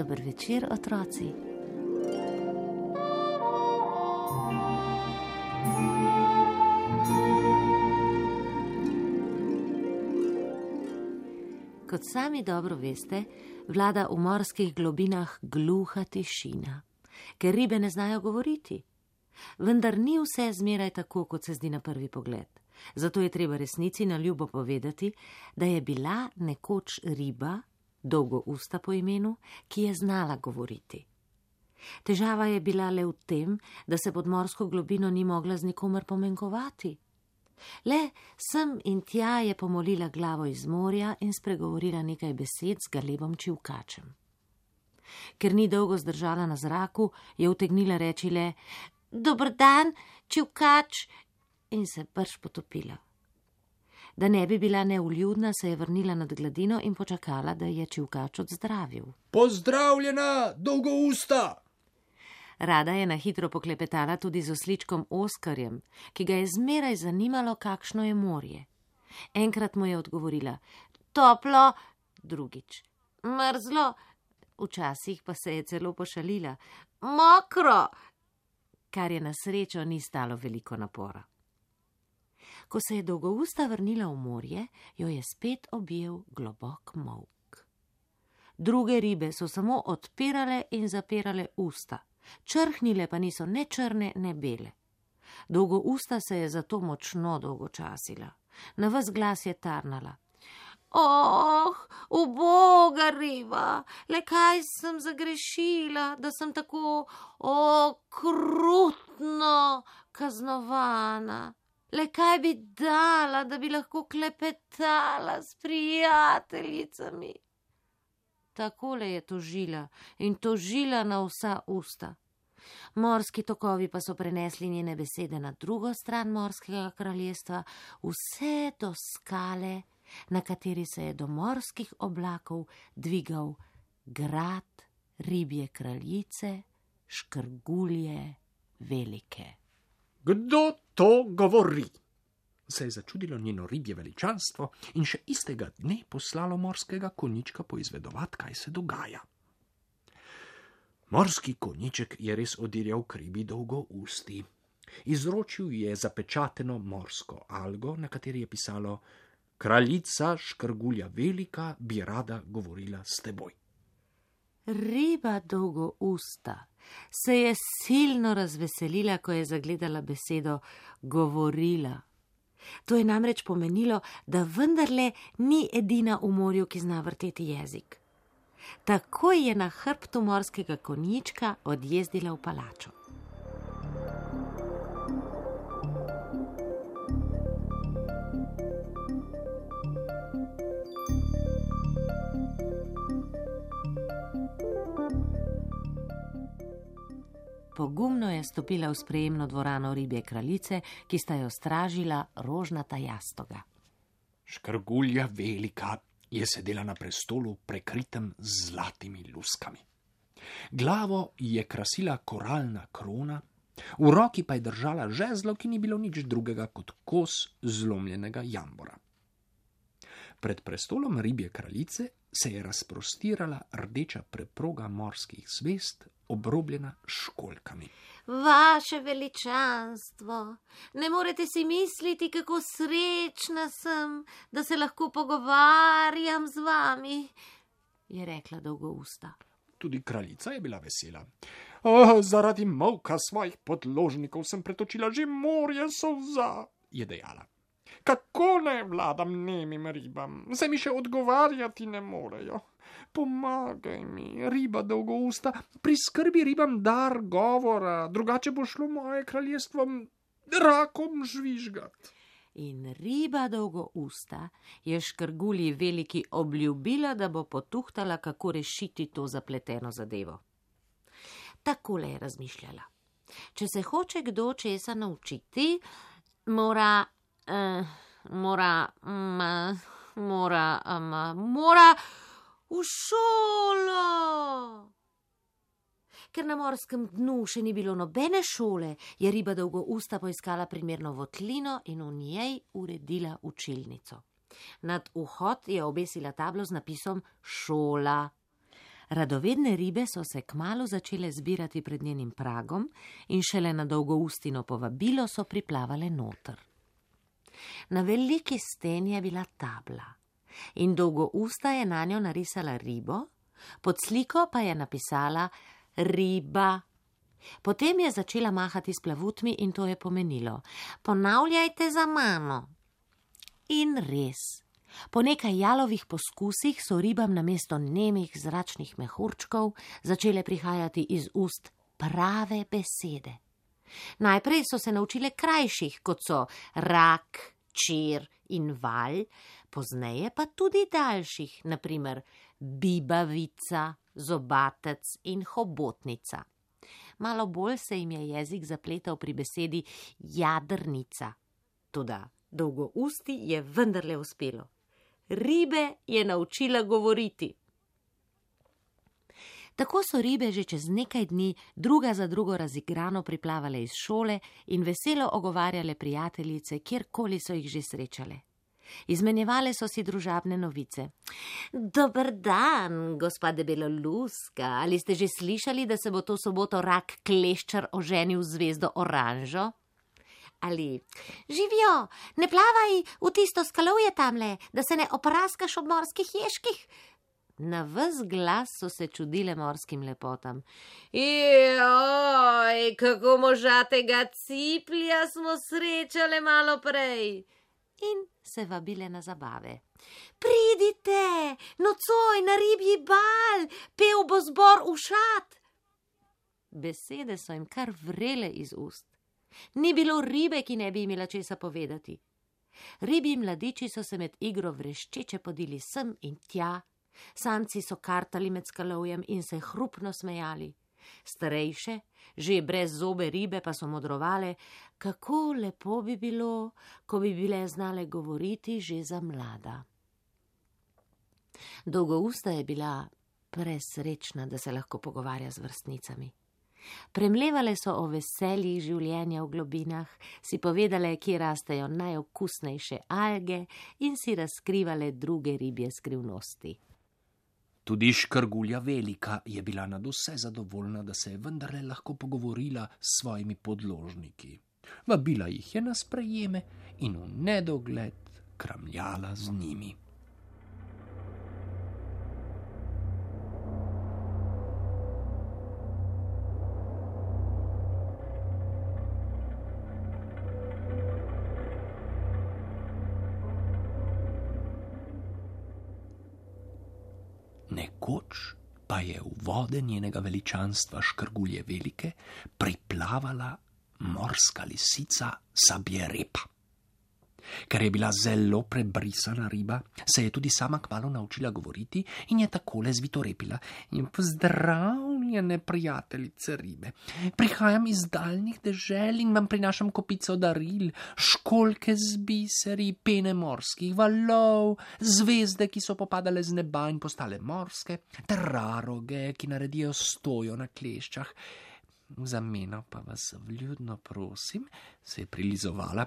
Dober večer, otroci. Kot sami dobro veste, vlada v morskih globinah gluha tišina, ker ribe ne znajo govoriti. Vendar ni vse zmeraj tako, kot se zdi na prvi pogled. Zato je treba resnici na ljubo povedati, da je bila nekoč riba, dolgousta po imenu, ki je znala govoriti. Težava je bila le v tem, da se pod morsko globino ni mogla z nikomer pomenkovati. Le sem in tja je pomolila glavo iz morja in spregovorila nekaj besed z galebom čivkačem. Ker ni dolgo zdržala na zraku, je utegnila reči le: "Dober dan, čivkač," in se brž potopila. Da ne bi bila neuljudna, se je vrnila nad gladino in počakala, da je čivkač odzdravil. "Pozdravljena, dolgousta!" Rada je na hitro poklepetala tudi z osličkom Oskarjem, ki ga je zmeraj zanimalo, kakšno je morje. Enkrat mu je odgovorila: "Toplo," drugič: "Mrzlo," včasih pa se je celo pošalila: "Mokro," kar je na srečo ni stalo veliko napora. Ko se je dolgousta vrnila v morje, jo je spet objel globok molk. Druge ribe so samo odpirale in zapirale usta, črhnile pa niso ne črne ne bele. Dolgousta se je zato močno dolgočasila. Na ves glas je tarnala: "Oh, uboga riba, le kaj sem zagrešila, da sem tako okrutno kaznovana. Le kaj bi dala, da bi lahko klepetala s prijateljicami." Takole je tožila in tožila na vsa usta. Morski tokovi pa so prenesli njene besede na drugo stran morskega kraljestva, vse do skale, na kateri se je do morskih oblakov dvigal grad ribje kraljice, Škrgulje Velike. "Kdo to govori?" se je začudilo njeno ribje veličanstvo in še istega dne poslalo morskega konjička poizvedovat, kaj se dogaja. Morski konjiček je res odirjal k ribi dolgousti. Izročil je zapečateno morsko algo, na kateri je pisalo: "Kraljica Škrgulja Velika bi rada govorila s teboj." Riba dolgousta se je silno razveselila, ko je zagledala besedo govorila. To je namreč pomenilo, da vendarle ni edina v morju, ki zna vrteti jezik. Takoj je na hrbtu morskega konjička odjezdila v palačo. Pogumno je stopila v sprejemno dvorano ribje kraljice, ki sta jo stražila rožnata jastoga. Škrgulja Velika je sedela na prestolu, prekritem z zlatimi luskami. Glavo je krasila koralna krona, v roki pa je držala žezlo, ki ni bilo nič drugega kot kos zlomljenega jambora. Pred prestolom ribje kraljice se je razprostirala rdeča preproga morskih zvezd, obrobljena s školjkami. "Vaše veličanstvo, ne morete si misliti, kako srečna sem, da se lahko pogovarjam z vami," je rekla dolgousta. Tudi kraljica je bila vesela. "Zaradi molka svojih podložnikov sem pretočila že morje solza," je dejala. "Kako naj vladam nemim ribam, se mi še odgovarjati ne morejo. Pomagaj mi, riba dolgousta, priskrbi ribam dar govora, drugače bo šlo moje kraljestvo rakom žvižgat." In riba dolgousta je Škrgulji Veliki obljubila, da bo potuhtala, kako rešiti to zapleteno zadevo. Takole je razmišljala: če se hoče kdo česa naučiti, mora v šolo. Ker na morskem dnu še ni bilo nobene šole, je riba dolgousta poiskala primerno votlino in v njej uredila učilnico. Nad vhod je obesila tablo z napisom šola. Radovedne ribe so se kmalu začele zbirati pred njenim pragom in šele na Dolgoustino povabilo so priplavale noter. Na veliki steni je bila tabla in Dolgousta je nanjo narisala ribo, pod sliko pa je napisala riba. Potem je začela mahati s plavutmi in to je pomenilo: ponavljajte za mano. In res. Po nekaj jalovih poskusih so ribam namesto nemih zračnih mehurčkov začele prihajati iz ust prave besede. Najprej so se naučile krajših, kot so rak, čir in valj, pozneje pa tudi daljših, na primer bibavica, zobatec in hobotnica. Malo bolj se jim je jezik zapletal pri besedi jadrnica. Toda Dolgousti je vendarle uspelo. Ribe je naučila govoriti. Tako so ribe že čez nekaj dni druga za drugo razigrano priplavale iz šole in veselo ogovarjale prijateljice, kjerkoli so jih že srečale. Izmenjevale so si družabne novice. Dober dan, gospa Debeloluska, ali ste že slišali, da se bo to soboto rak kleščar oženil z zvezdo oranžo? Ali živijo, ne plavaj v tisto skalovje tamle, da se ne opraskaš ob morskih ježkih? Na ves glas so se čudile morskim lepotam. Joj, kako možatega ciplja smo srečale malo prej. In se vabile na zabave. Pridite, nocoj na ribji bal, pel bo zbor ušat. Besede so jim kar vrele iz ust. Ni bilo ribe, ki ne bi imela česa povedati. Ribji mladiči so se med igro vreščeče podili sem in tja, samci so kartali med skalovjem in se hrupno smejali. Starejše, že brez zobe ribe pa so modrovale, kako lepo bi bilo, ko bi bile znale govoriti že za mlada. Dolgousta je bila presrečna, da se lahko pogovarja z vrstnicami. Premlevale so o veseljih življenja v globinah, si povedale, kje rastejo najokusnejše alge in si razkrivale druge ribje skrivnosti. Tudi Škrgulja Velika je bila nadvse zadovoljna, da se je vendarle lahko pogovorila s svojimi podložniki. Vabila jih je na sprejeme in v nedogled kramljala z njimi. Nekoč pa je v vode njenega veličanstva Škrgulje Velike priplavala morska lisica Sabjerepa. Ker je bila zelo prebrisana riba, se je tudi sama kmalu naučila govoriti in je takole zvitorepila. Pozdravljene prijateljice ribe. Prihajam iz daljnih dežel in vam prinašam kopico daril, školjke z biseri, pene morskih valov, zvezde, ki so popadale z neba in postale morske, ter raroge, ki naredijo stojo na kleščah. V zameno pa vas vljudno prosim, se je prilizovala,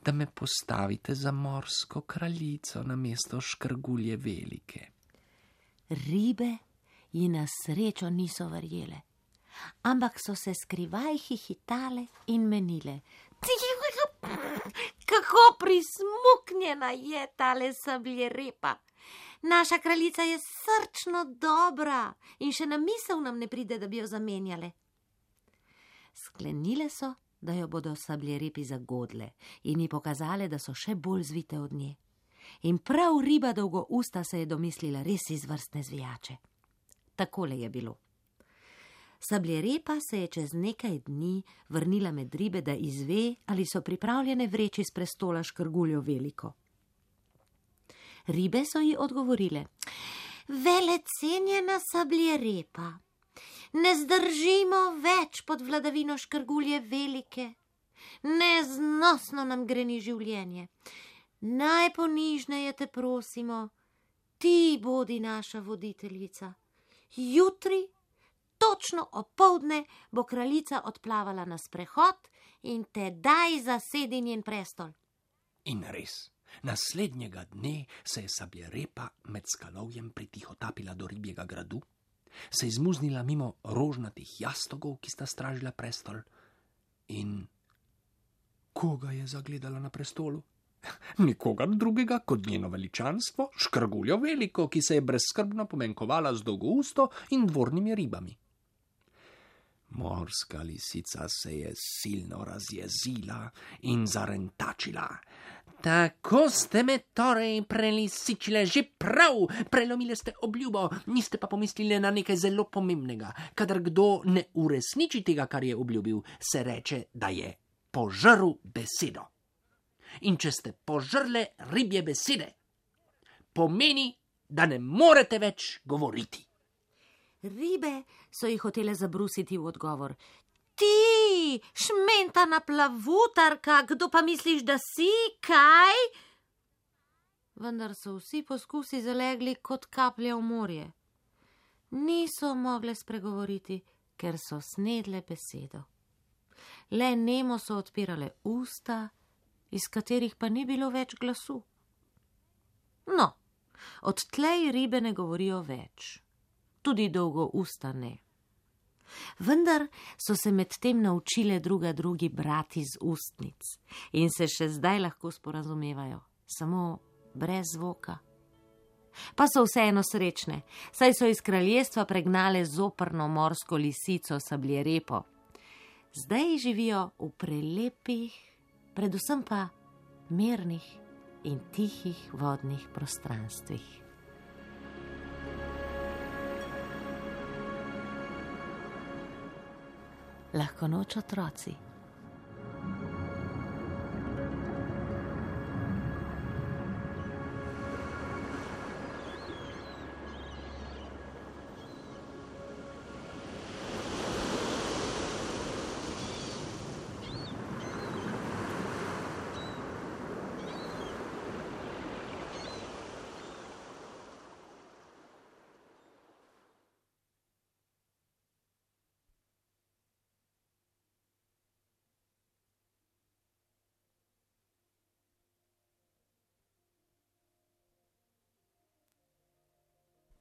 da me postavite za morsko kraljico namesto Škrgulje Velike. Ribe ji na srečo niso verjele, ampak so se skrivaj hihitale in menile. Kako prismuknjena je tale Sabjerepa. Naša kraljica je srčno dobra in še na misel nam ne pride, da bi jo zamenjale. Sklenile so, da jo bodo Sabjerepi zagodle in ji pokazale, da so še bolj zvite od nje. In prav riba Dolgousta se je domislila res izvrstne zvijače. Takole je bilo. Sabjerepa se je čez nekaj dni vrnila med ribe, da izve, ali so pripravljene vreči s prestola Škrguljo Veliko. Ribe so ji odgovorile. Velecenjena Sabjerepa, ne zdržimo več pod vladavino Škrgulje Velike. Neznosno nam greni življenje. Najponižneje te prosimo, ti bodi naša voditeljica. Jutri, točno opoldne, bo kraljica odplavala na sprehod in tedaj zasedi njen prestol. In res, naslednjega dne se je Sabjerepa med skalovjem pritihotapila do ribjega gradu, se je zmuznila mimo rožnatih jastogov, ki sta stražila prestol. In koga je zagledala na prestolu? Nikogar drugega kot njeno veličanstvo, Škrguljo Veliko, ki se je brezskrbno pomenkovala z dolgousto in dvornimi ribami. Morska lisica se je silno razjezila in zarentačila. Tako ste me torej prelisičile, že prav, prelomile ste obljubo, niste pa pomislili na nekaj zelo pomembnega. Kadar kdo ne uresniči tega, kar je obljubil, se reče, da je požrl besedo. In če ste požrle ribje besede, pomeni, da ne morete več govoriti. Ribe so jih hotele zabrusiti v odgovor. Ti, šmentana plavutarka, kdo pa misliš, da si, kaj? Vendar so vsi poskusi zalegli kot kaplje v morje. Niso mogle spregovoriti, ker so snedle besedo. Le nemo so odpirale usta, iz katerih pa ni bilo več glasu. No, odtlej ribe ne govorijo več. Tudi dolgo usta ne. Vendar so se medtem naučile druga drugi brati z ustnic in se še zdaj lahko sporazumevajo, samo brez zvoka. Pa so vseeno srečne, saj so iz kraljestva pregnale zoprno morsko lisico Sabljerepo. Zdaj živijo v prelepih, predvsem pa mirnih in tihih vodnih prostranstvih. Lahko noč, otroci.